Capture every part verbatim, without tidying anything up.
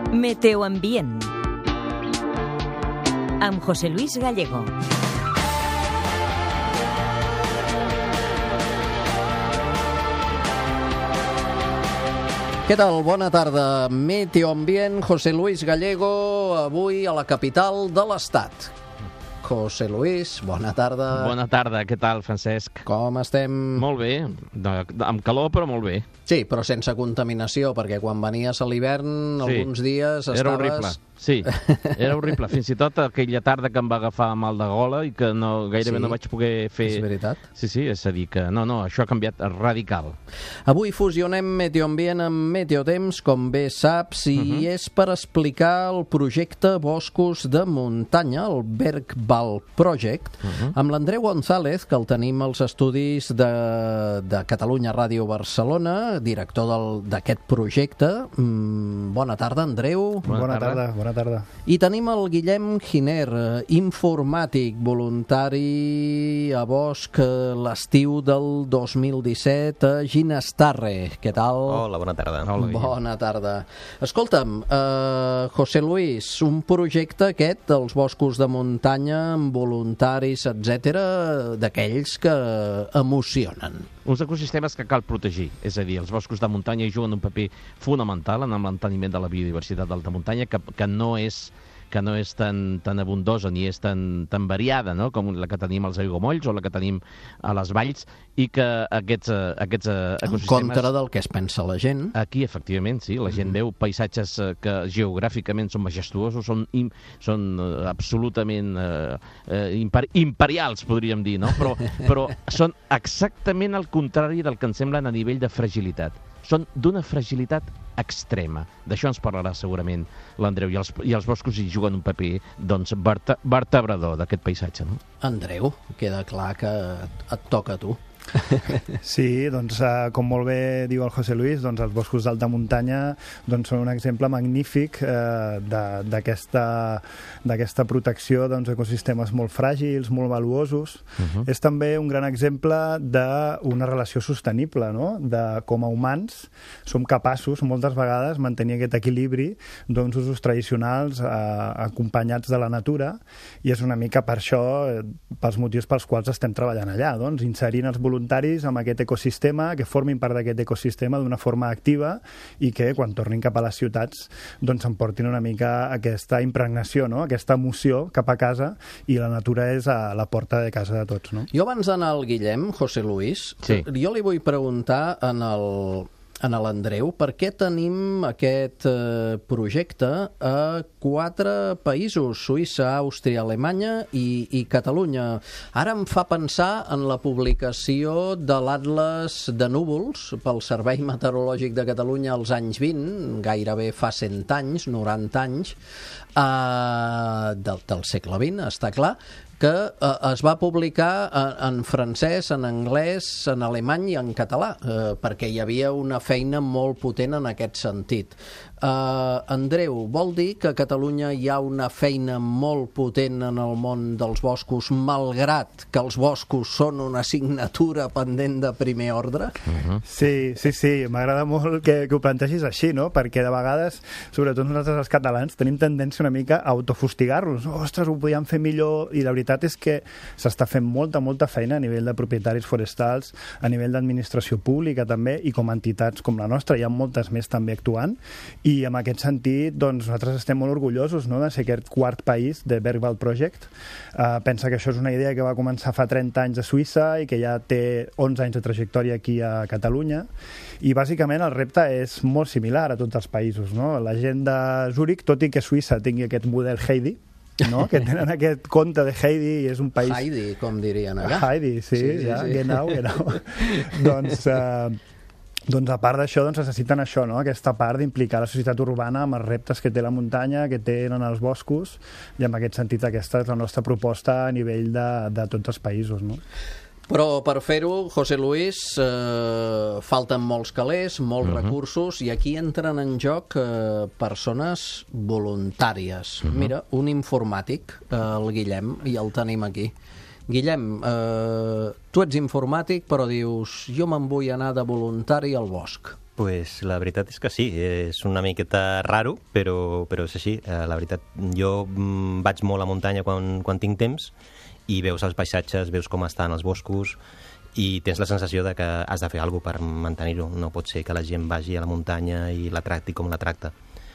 Meteoambient amb José Luis Gallego. Què tal? Bona tarda. Meteoambient, José Luis Gallego, avui a la capital de l'Estat. José Luis, bona tarda. Bona tarda, què tal, Francesc? Com estem? Molt bé, de, de, amb calor però molt bé. Sí, però sense contaminació, perquè quan venies a l'hivern, sí, alguns dies estaves... Era horrible, sí, era horrible. Fins i tot aquella tarda que em va agafar mal de gola i que no, gairebé sí, no vaig poder fer... És veritat? Sí, sí, és a dir que no, no, això ha canviat radical. Avui fusionem Meteoambient amb Meteotemps, com bé saps, i uh-huh. és per explicar el projecte Boscos de Muntanya, el Bergwald Project, uh-huh. amb l'Andreu González, que el tenim als estudis de, de Catalunya Ràdio Barcelona, director d'aquest projecte. Mm, bona tarda, Andreu. Bona, bona tarda. tarda, bona tarda. I tenim el Guillem Giner, informàtic, voluntari a Bosch l'estiu del dos mil disset a Ginestarre. Què tal? Hola, bona tarda. Hola, bona tarda. Escolta'm, uh, José Luis, un projecte aquest dels boscos de muntanya amb voluntaris, etcètera, d'aquells que emocionen. Uns ecosistemes que cal protegir, és a dir, els boscos de muntanya hi juguen un paper fonamental en el manteniment de la biodiversitat d'alta muntanya, que, que no és que no és tan, tan abundosa ni és tan, tan variada, no?, com la que tenim als aiguamolls o la que tenim a les valls, i que aquests, aquests ecosistemes... En contra del que es pensa la gent. Aquí, efectivament, sí, la gent mm. veu paisatges que geogràficament són majestuosos, són, im, són absolutament eh, imper, imperials, podríem dir, no?, però, però són exactament el contrari del que ens semblen a nivell de fragilitat. Són d'una fragilitat extrema. D'això ens parlarà segurament l'Andreu, i els, i els boscos hi juguen un paper, doncs, verte, vertebrador d'aquest paisatge, no? Andreu, queda clar que et toca a tu. Sí, doncs uh, com molt bé diu el José Luis, doncs els boscos d'alta muntanya doncs, són un exemple magnífic uh, d'aquesta d'aquesta protecció d'ecosistemes molt fràgils, molt valuosos. Uh-huh. És també un gran exemple d'una relació sostenible, no?, de com a humans som capaços moltes vegades mantenir aquest equilibri d'uns usos tradicionals uh, acompanyats de la natura, i és una mica per això, eh, pels motius pels quals estem treballant allà, doncs, inserint els voluntaris amb aquest ecosistema, que formin part d'aquest ecosistema d'una forma activa i que quan tornin cap a les ciutats doncs emportin una mica aquesta impregnació, no?, aquesta emoció cap a casa, i la natura és a la porta de casa de tots, no? Jo abans d'anar al Guillem, José Luis, sí. jo li vull preguntar en el... en l'Andreu, per què tenim aquest eh, projecte a quatre països, Suïssa, Àustria, Alemanya i, i Catalunya. Ara em fa pensar en la publicació de l'Atles de Núvols pel Servei Meteorològic de Catalunya als anys vint, gairebé fa cent anys, noranta anys, eh, del, del segle vint, està clar, que eh, es va publicar en, en francès, en anglès, en alemany i en català, eh, perquè hi havia una feina molt potent en aquest sentit. Uh, Andreu, vol dir que a Catalunya hi ha una feina molt potent en el món dels boscos, malgrat que els boscos són una assignatura pendent de primer ordre? Uh-huh. Sí, sí, sí, m'agrada molt que, que ho plantegis així, no?, perquè de vegades, sobretot nosaltres els catalans, tenim tendència una mica a autofustigar-los. Ostres, ho podíem fer millor, i la veritat és que s'està fent molta, molta feina a nivell de propietaris forestals, a nivell d'administració pública també, i com a entitats com la nostra, hi ha moltes més també actuant, i en aquest sentit, doncs, nosaltres estem molt orgullosos, no?, de ser aquest quart país de Bergwald Project. Uh, pensa que això és una idea que va començar fa trenta anys a Suïssa i que ja té onze anys de trajectòria aquí a Catalunya, i bàsicament el repte és molt similar a tots els països, no? La gent de Zúrich, tot i que Suïssa tingui aquest model Heidi, no?, que tenen aquest conte de Heidi, i és un país... Heidi, com dirien allà. Heidi, sí, sí, sí, ja, sí. Genau, genau. Doncs... Uh, Doncs a part d'això, doncs necessiten això, no?, aquesta part d'implicar la societat urbana amb els reptes que té la muntanya, que tenen els boscos, i en aquest sentit aquesta és la nostra proposta a nivell de, de tots els països, no? Però per fer-ho, José Luis, eh, falten molts calés, molts uh-huh. recursos, i aquí entren en joc eh, persones voluntàries. Uh-huh. Mira, un informàtic, eh, el Guillem, i el tenim aquí. Guillem, eh, tu ets informàtic, però dius, jo me'n vull anar de voluntari al bosc. Pues la veritat és que sí, és una miqueta raro, però, però és així. La veritat, jo vaig molt a muntanya quan, quan tinc temps i veus els paisatges, veus com estan els boscos i tens la sensació de que has de fer alguna cosa per mantenir-ho. No pot ser que la gent vagi a la muntanya i la tracti com la tracta.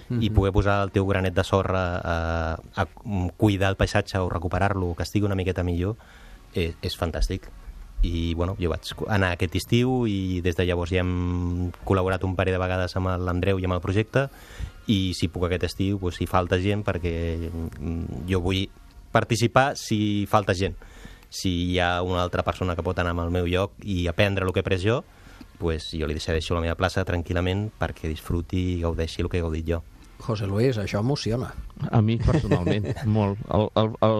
Mm-hmm. I poder posar el teu granet de sorra a, a cuidar el paisatge o recuperar-lo, que estigui una miqueta millor, és, és fantàstic. I bueno, jo vaig anar aquest estiu i des de llavors ja hem col·laborat un parell de vegades amb l'Andreu i amb el projecte, i si puc aquest estiu, doncs, si falta gent, perquè jo vull participar si falta gent. Si hi ha una altra persona que pot anar al meu lloc i aprendre el que he après jo, doncs jo li deixo la meva plaça tranquil·lament perquè disfruti i gaudeixi el que he gaudit jo. José Luis, això emociona. A mi personalment, molt.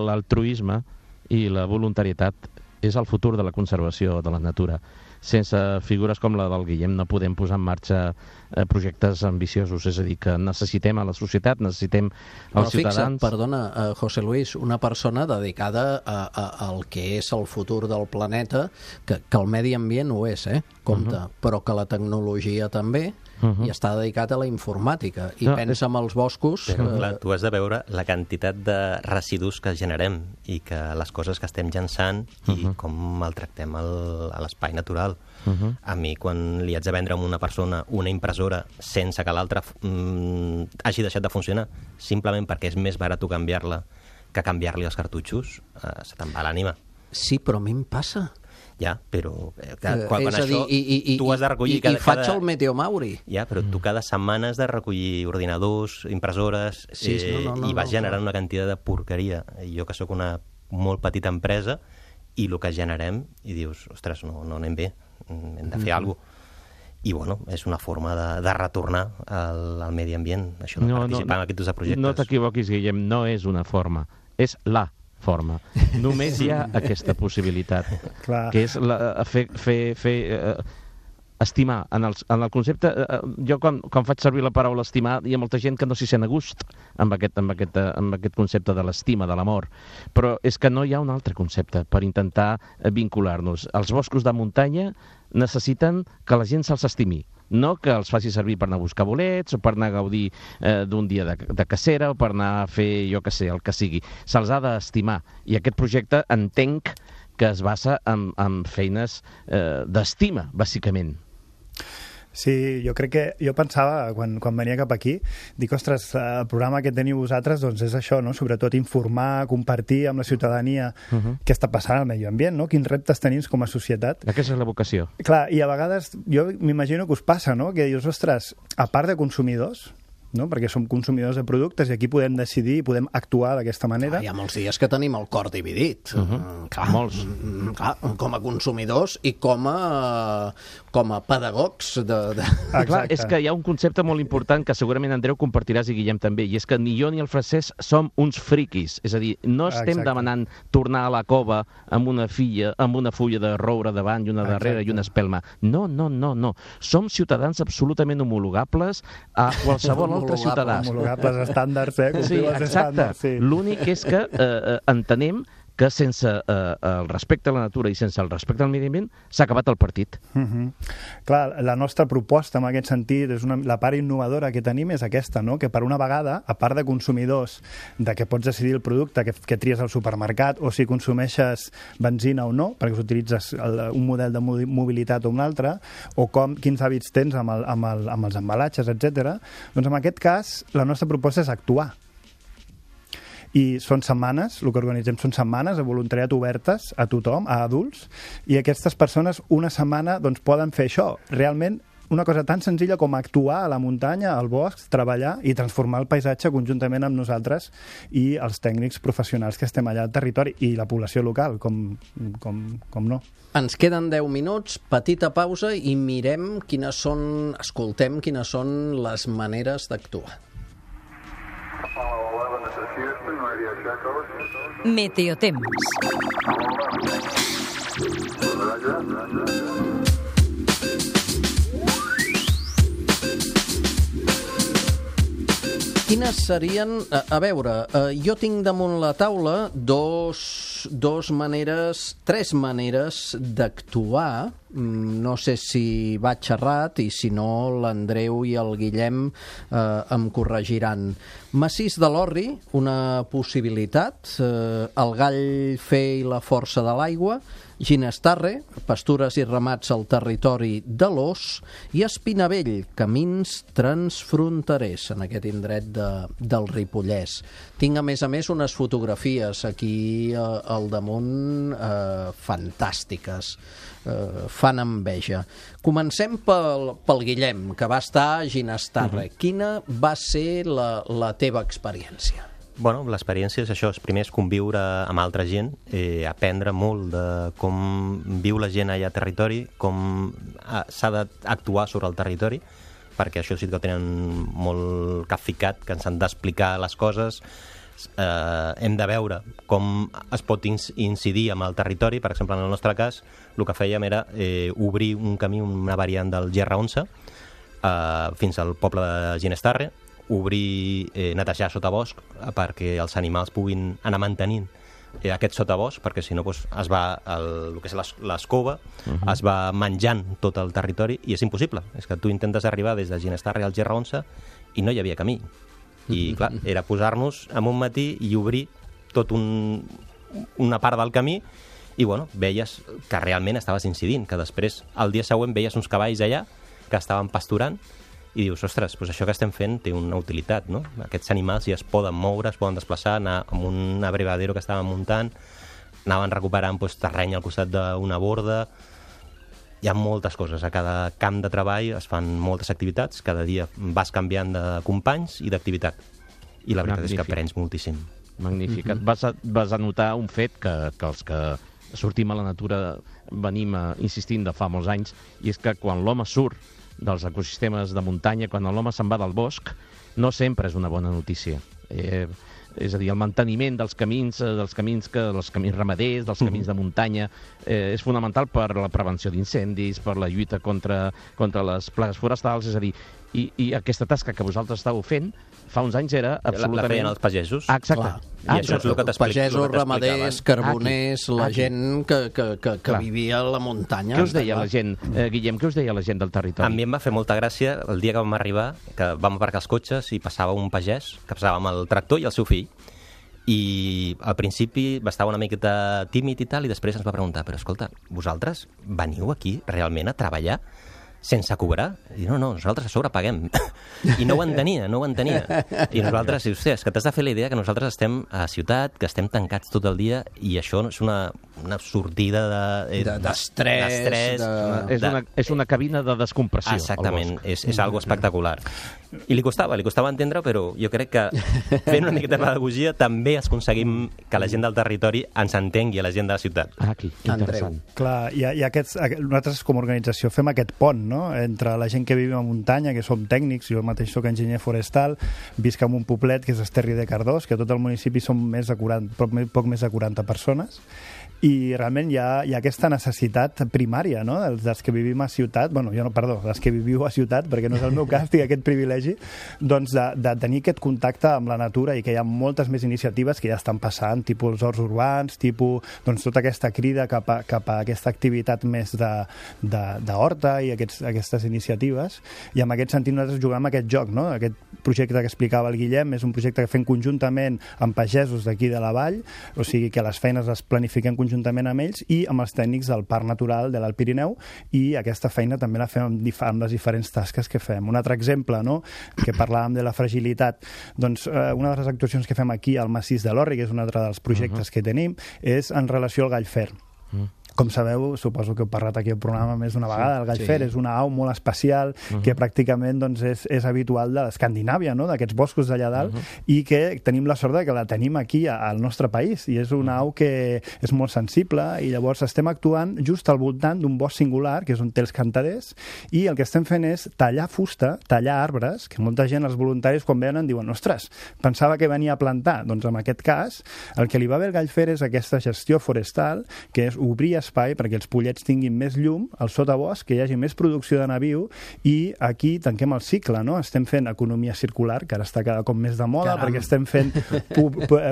L'altruisme i la voluntarietat és el futur de la conservació de la natura. Sense figures com la del Guillem no podem posar en marxa eh, projectes ambiciosos, és a dir, que necessitem a la societat, necessitem als Però ciutadans... Fixa't, perdona, eh, José Luis, una persona dedicada a, a, al que és el futur del planeta, que, que el medi ambient ho és, eh? Compte, uh -huh. però que la tecnologia també, uh -huh. i està dedicat a la informàtica, i no, pensa en els boscos... Però, eh... clar, tu has de veure la quantitat de residus que generem i que les coses que estem llançant i uh -huh. com maltractem el, a l'espai natural. Uh -huh. A mi, quan li haig de vendre a una persona una impressora sense que l'altra mm, hagi deixat de funcionar, simplement perquè és més barat canviar-la que canviar-li els cartutxos, eh, se te'n va l'ànima. Sí, però a mi em passa. Ja, però eh, quan, eh, quan és això a dir, i, i, tu has de recollir... I, cada, i faig cada... el Meteomauri. Ja, però tu cada setmana has de recollir ordinadors, impressores, sí, eh, sí, no, no, no, i vas no, generant no. una quantitat de porqueria. Jo, que sóc una molt petita empresa, i el que generem, i dius, ostres, no, no anem bé, hem de fer mm-hmm. alguna cosa. I, bueno, és una forma de, de retornar al, al medi ambient, això de no, participar no, en aquests projectes. No t'equivoquis, Guillem, no és una forma, és la forma. Només hi ha aquesta possibilitat, Clar. que és la, fer, fer, fer eh, estimar. En el, en el concepte, eh, jo quan, quan faig servir la paraula estimar, hi ha molta gent que no s'hi sent a gust amb aquest, amb aquest, amb aquest concepte de l'estima, de l'amor, però és que no hi ha un altre concepte per intentar vincular-nos. Els boscos de muntanya necessiten que la gent se'ls estimi, no que els faci servir per anar a buscar bolets o per anar a gaudir eh, d'un dia de, de cacera o per anar a fer, jo que sé, el que sigui. Se'ls ha d'estimar. I aquest projecte entenc que es basa en, en feines eh, d'estima, bàsicament. Sí, jo crec que... Jo pensava, quan, quan venia cap aquí, dic, ostres, el programa que teniu vosaltres doncs és això, no? Sobretot informar, compartir amb la ciutadania uh -huh. què està passant al medi ambient, no? Quins reptes tenim com a societat. Aquesta és la vocació. Clar, i a vegades jo m'imagino que us passa, no? Que dius, ostres, a part de consumidors, no? Perquè som consumidors de productes i aquí podem decidir i podem actuar d'aquesta manera. Ah, hi ha molts dies que tenim el cor dividit. Uh -huh. clar, molts. Clar, com a consumidors i com a, com a pedagogs. De, de... Ah, clar, és que hi ha un concepte molt important que segurament, Andreu, compartiràs i Guillem també, i és que ni jo ni el Francesc som uns friquis. És a dir, no estem Exacte. demanant tornar a la cova amb una filla, amb una fulla de roure davant i una darrere Exacte. i una espelma. No, no, no, no. Som ciutadans absolutament homologables a qualsevol altre ciutadà. Homologables estàndards, eh? Sí, exacte. Sí. L'únic és que eh, entenem que sense eh, el respecte a la natura i sense el respecte al medi ambient s'ha acabat el partit. Uh -huh. Clar, la nostra proposta en aquest sentit, és una, la part innovadora que tenim és aquesta, no? Que per una vegada, a part de consumidors, de que pots decidir el producte que, que tries al supermercat o si consumeixes benzina o no, perquè utilitzes el, un model de mobilitat o un altre, o com, quins hàbits tens amb, el, amb, el, amb els embalatges, etcètera. Doncs en aquest cas la nostra proposta és actuar. I són setmanes, el que organitzem són setmanes de voluntariat obertes a tothom, a adults, i aquestes persones una setmana doncs, poden fer això. Realment, una cosa tan senzilla com actuar a la muntanya, al bosc, treballar i transformar el paisatge conjuntament amb nosaltres i els tècnics professionals que estem allà al territori i la població local, com, com, com no. Ens queden deu minuts, petita pausa i mirem quines són, escoltem quines són les maneres d'actuar. Meteotemps. Quines serien... A, a veure, eh, jo tinc damunt la taula dos dos, dos maneres, tres maneres d'actuar. No sé si vaig errat i si no l'Andreu i el Guillem eh, em corregiran. Massís de l'Orri, una possibilitat, eh, el Gall Fer i la Força de l'Aigua, Ginestarre, pastures i ramats al territori de l'Os, i Espinavell, camins transfronterers en aquest indret de, del Ripollès. Tinc, a més a més, unes fotografies aquí eh, al damunt eh, fantàstiques. Eh, fan enveja. Comencem pel, pel Guillem, que va estar a Ginestarre. Uh-huh. Quina va ser la, la teva experiència? Bueno, l'experiència és això, és primer és conviure amb altra gent, eh, aprendre molt de com viu la gent allà al territori, com s'ha d'actuar sobre el territori, perquè això sí que tenen molt capficat, que ens han d'explicar les coses, eh, hem de veure com es pot incidir amb el territori. Per exemple, en el nostre cas, el que fèiem era eh, obrir un camí, una variant del Gerra onze, eh, fins al poble de Ginestarre, obrir, eh, netejar sotabosc perquè els animals puguin anar mantenint eh, aquest sotabosc, perquè si no doncs, es va, el, el que és l'escova, uh-huh. es va menjant tot el territori i és impossible. És que tu intentes arribar des de Ginestarre al Gerra onze i no hi havia camí. I clar, era posar-nos en un matí i obrir tot un, una part del camí i bueno, veies que realment estaves incidint, que després el dia següent veies uns cavalls allà que estaven pasturant i dius, ostres, doncs això que estem fent té una utilitat, no? Aquests animals ja es poden moure, es poden desplaçar, anar amb un abrevadero que estaven muntant, anaven recuperant doncs, terreny al costat d'una borda. Hi ha moltes coses, a cada camp de treball es fan moltes activitats, cada dia vas canviant de companys i d'activitat. I la veritat Magnífic. És que aprens moltíssim. Magnífic. Mm-hmm. vas, a, vas a notar un fet que, que els que sortim a la natura venim a, insistint de fa molts anys, i és que quan l'home surt dels ecosistemes de muntanya, quan l'home se'n va del bosc, no sempre és una bona notícia. Eh, és a dir, el manteniment dels camins, dels camins, que, dels camins ramaders, dels camins de muntanya, eh, és fonamental per la prevenció d'incendis, per la lluita contra, contra les plagues forestals, és a dir, i, i aquesta tasca que vosaltres estàveu fent fa uns anys era absolutament... La feien els pagesos. Ah, exacte. Clar. I ah, això és el que t'explico. Pagesos, ramaders, carboners, aquí, la aquí. gent que, que, que, que vivia a la muntanya. Què us deia la gent, eh, Guillem, què us deia la gent del territori? A mi em va fer molta gràcia el dia que vam arribar, que vam aparcar els cotxes i passava un pagès, que passava amb el tractor i el seu fill, i al principi estava una miqueta tímid i tal, i després ens va preguntar, però escolta, vosaltres veniu aquí realment a treballar sense cobrar? I no, no, nosaltres a sobre paguem. I no ho entenia, no ho entenia. I nosaltres, hòstia, és que t'has de fer la idea que nosaltres estem a ciutat, que estem tancats tot el dia, i això és una, una sortida de, de, d'estrès. d'estrès de... És, una, és una cabina de descompressió. Exactament, és, és algo espectacular. I li costava, li costava entendre, però jo crec que fent una miqueta de pedagogia també aconseguim que la gent del territori ens entengui a la gent de la ciutat. Ah, aquí, interessant. Andreu. Clar, i, i aquests, nosaltres com a organització fem aquest pont, no?, entre la gent que vivim a muntanya, que som tècnics, jo mateix soc enginyer forestal, visc en un poblet que és Esterri de Cardós, que tot el municipi som més de quaranta, poc, poc més de quaranta persones, i realment hi ha, hi ha aquesta necessitat primària, no?, dels, dels que vivim a ciutat, bueno, jo no, perdó, dels que viviu a ciutat, perquè no és el meu cas, tinc aquest privilegi, doncs de, de tenir aquest contacte amb la natura, i que hi ha moltes més iniciatives que ja estan passant, tipus els horts urbans, tipus, doncs tota aquesta crida cap a, cap a aquesta activitat més de, de, de horta i aquests, aquestes iniciatives, i en aquest sentit nosaltres juguem amb aquest joc, no?, aquest projecte que explicava el Guillem és un projecte que fem conjuntament amb pagesos d'aquí de la vall, o sigui que les feines les planifiquem conjuntament juntament amb ells i amb els tècnics del Parc Natural de l'Alt Pirineu, i aquesta feina també la fem amb, dif amb les diferents tasques que fem. Un altre exemple, no?, que parlàvem de la fragilitat, doncs eh, una de les actuacions que fem aquí al Massís de l'Orri, que és un altre dels projectes uh-huh. que tenim, és en relació al gall fer. Uh-huh. Com sabeu, suposo que heu parlat aquí al programa més d'una vegada, el gall fer sí. és una au molt especial uh-huh. que pràcticament doncs, és, és habitual de l'Escandinàvia, no?, d'aquests boscos d'allà dalt, uh-huh. i que tenim la sort de que la tenim aquí al nostre país, i és una au que és molt sensible, i llavors estem actuant just al voltant d'un bosc singular, que és on té els cantaders, i el que estem fent és tallar fusta, tallar arbres, que molta gent, els voluntaris, quan venen, diuen, ostres, pensava que venia a plantar. Doncs en aquest cas, el que li va bé al gall fer és aquesta gestió forestal, que és obrir espai perquè els pollets tinguin més llum, al sotabosc, que hi hagi més producció de naviu, i aquí tanquem el cicle, no? Estem fent economia circular, que ara està cada cop més de moda, Caram. perquè estem fent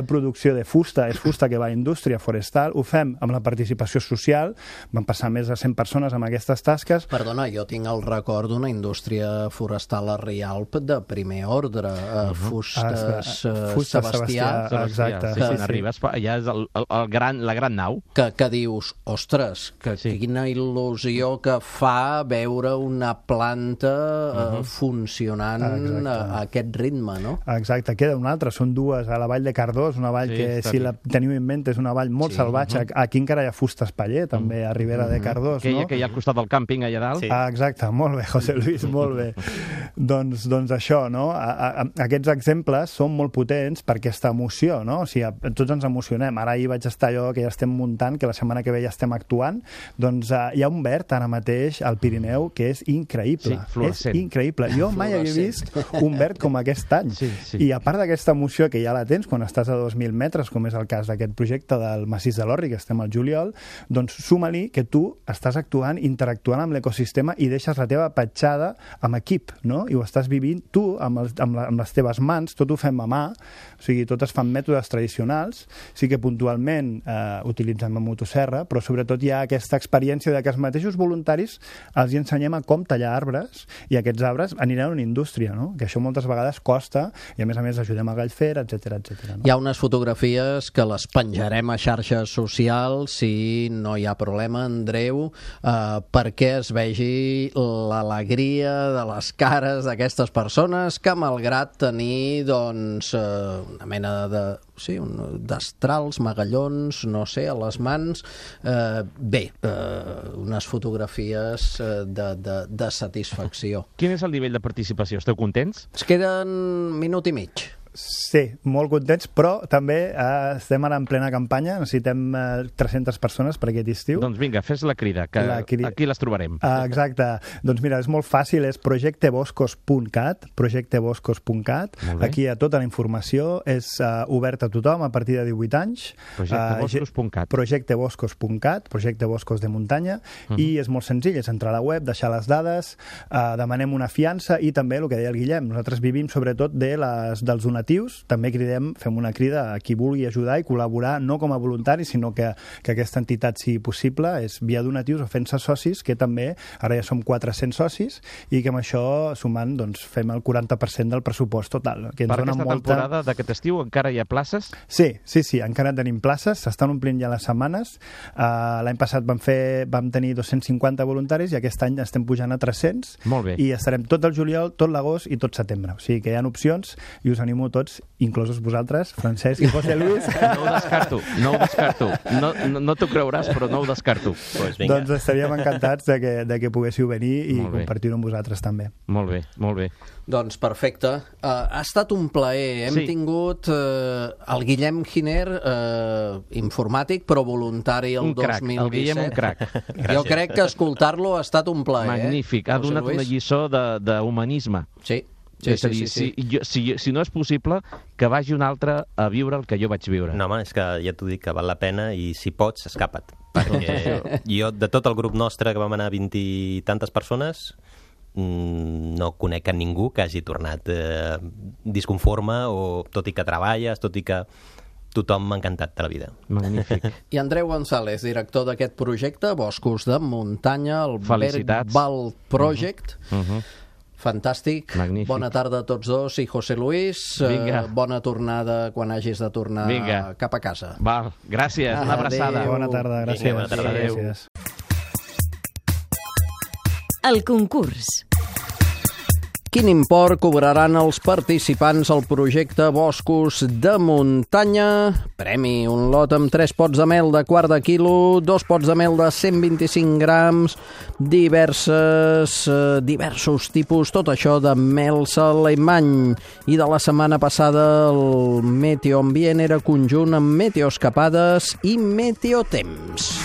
producció de fusta, és fusta que va a indústria forestal, ho fem amb la participació social, van passar més de cent persones amb aquestes tasques. Perdona, jo tinc el record d'una indústria forestal a Rialp de primer ordre, uh, Fustes, uh, Fustes Sebastià, Sebastià, exacte. Sí, sí, sí. Arribes, allà és el, el, el gran, la gran nau. Que, que dius, ostres, que sí. quina il·lusió que fa veure una planta uh, uh-huh. funcionant Exacte. a, a aquest ritme, no? Exacte, queda una altra, són dues a la vall de Cardós, una vall sí, que si la teniu en ment és una vall molt sí. salvatge, uh-huh. aquí encara hi ha Fustes Paller, també a Ribera uh-huh. de Cardós, Aquella no? que hi ha al costat del càmping allà dalt. Sí. Ah, exacte, molt bé, José Luis, molt bé. doncs, doncs això, no? A, a, aquests exemples són molt potents per aquesta emoció, no? O sigui, tots ens emocionem. Ara ahir vaig estar jo, que ja estem muntant, que la setmana que ve ja estem actuant, doncs uh, hi ha un verd ara mateix al Pirineu que és increïble. Sí, fluorescent. És increïble. Jo mai havia vist un verd com aquest any. Sí, sí. I a part d'aquesta emoció que ja la tens quan estàs a dos mil metres, com és el cas d'aquest projecte del Massís de l'Orri, que estem al juliol, doncs suma-li que tu estàs actuant, interactuant amb l'ecosistema i deixes la teva petjada amb equip, no? I ho estàs vivint tu amb, els, amb, la, amb les teves mans, tot ho fem a mà, o sigui, tot es fan mètodes tradicionals, sí que puntualment eh, utilitzem la motosserra, però sobretot hi ha aquesta experiència de que els mateixos voluntaris els hi ensenyem a com tallar arbres i aquests arbres aniran a una indústria, no? Que això moltes vegades costa i a més a més ajudem a Gallfer, etcètera, etcètera. No? Hi ha unes fotografies que les penjarem a xarxes socials si no hi ha problema, Andreu, eh, perquè es vegi l'alegria de les cares d'aquestes persones que malgrat tenir doncs eh, una mena de sí, destrals, magallons, no sé, a les mans, eh, bé, eh, unes fotografies eh, de, de, de satisfacció. Quin és el nivell de participació? Esteu contents? Es queden minut i mig. Sí, molt contents, però també eh, estem ara en plena campanya, necessitem eh, tres-centes persones per aquest estiu. Doncs vinga, fes la crida, que la cri... aquí les trobarem. Ah, exacte. Doncs mira, és molt fàcil, és projecteboscos punt cat, projecteboscos punt cat. Aquí hi ha tota la informació, és uh, obert a tothom a partir de divuit anys. projecteboscos punt cat. Uh, projecteboscos punt cat, projecte boscos de muntanya, uh -huh. i és molt senzill, és entrar a la web, deixar les dades, uh, demanem una fiança i també el que deia el Guillem, nosaltres vivim sobretot de les, dels donatius. També cridem, fem una crida a qui vulgui ajudar i col·laborar, no com a voluntari, sinó que, que aquesta entitat sigui possible, és via donatius o fent-se socis, que també, ara ja som quatre-cents socis, i que amb això, sumant, doncs, fem el quaranta per cent del pressupost total. Que ens per dona aquesta molta... temporada d'aquest estiu encara hi ha places? Sí, sí, sí, encara tenim places, s'estan omplint ja les setmanes. Uh, L'any passat vam, fer, vam tenir dos-cents cinquanta voluntaris i aquest any estem pujant a tres-cents. Molt bé. I estarem tot el juliol, tot l'agost i tot setembre. O sigui que hi ha opcions i us animo tots, inclosos vosaltres, Francesc i José Luis. No ho descarto, no ho descarto. No, no, no t'ho creuràs, però no ho descarto. Pues doncs estaríem encantats de que, de que poguéssiu venir i compartir-ho amb vosaltres també. Molt bé, molt bé. Doncs perfecte. Uh, ha estat un plaer. Hem sí. tingut uh, el Guillem Giner, uh, informàtic, però voluntari el un dos mil disset. El Guillem un crac. Jo crec que escoltar-lo ha estat un plaer. Magnífic. Eh? Ha donat una lliçó d'humanisme. Sí. Sí, és a dir, sí, sí, sí. Si, jo, si, si no és possible, que vagi un altre a viure el que jo vaig viure. No, home, és que ja t'ho dic, que val la pena i si pots, escapa't. Perquè jo, de tot el grup nostre, que vam anar vint i tantes persones, no conec a ningú que hagi tornat eh, disconforme, o tot i que treballes, tot i que tothom m'ha encantat de la vida. Magnífic. I Andreu González, director d'aquest projecte, Boscos de Muntanya, el Bergwald Project. Uh -huh. Uh -huh. Fantàstic. Magnífic. Bona tarda a tots dos i José Luis. Vinga. Uh, bona tornada quan hagis de tornar Vinga. cap a casa. Val, gràcies. Una abraçada. Bona tarda, gràcies. Vinga, bona tarda. Adéu. Gràcies. El concurs. Quin import cobraran els participants al projecte Boscos de Muntanya? Premi, un lot amb tres pots de mel de quart de quilo, dos pots de mel de cent vint-i-cinc grams, diverses, eh, diversos tipus, tot això de mel alemany. I de la setmana passada el Meteo Ambient era conjunt amb meteoscapades i meteotemps.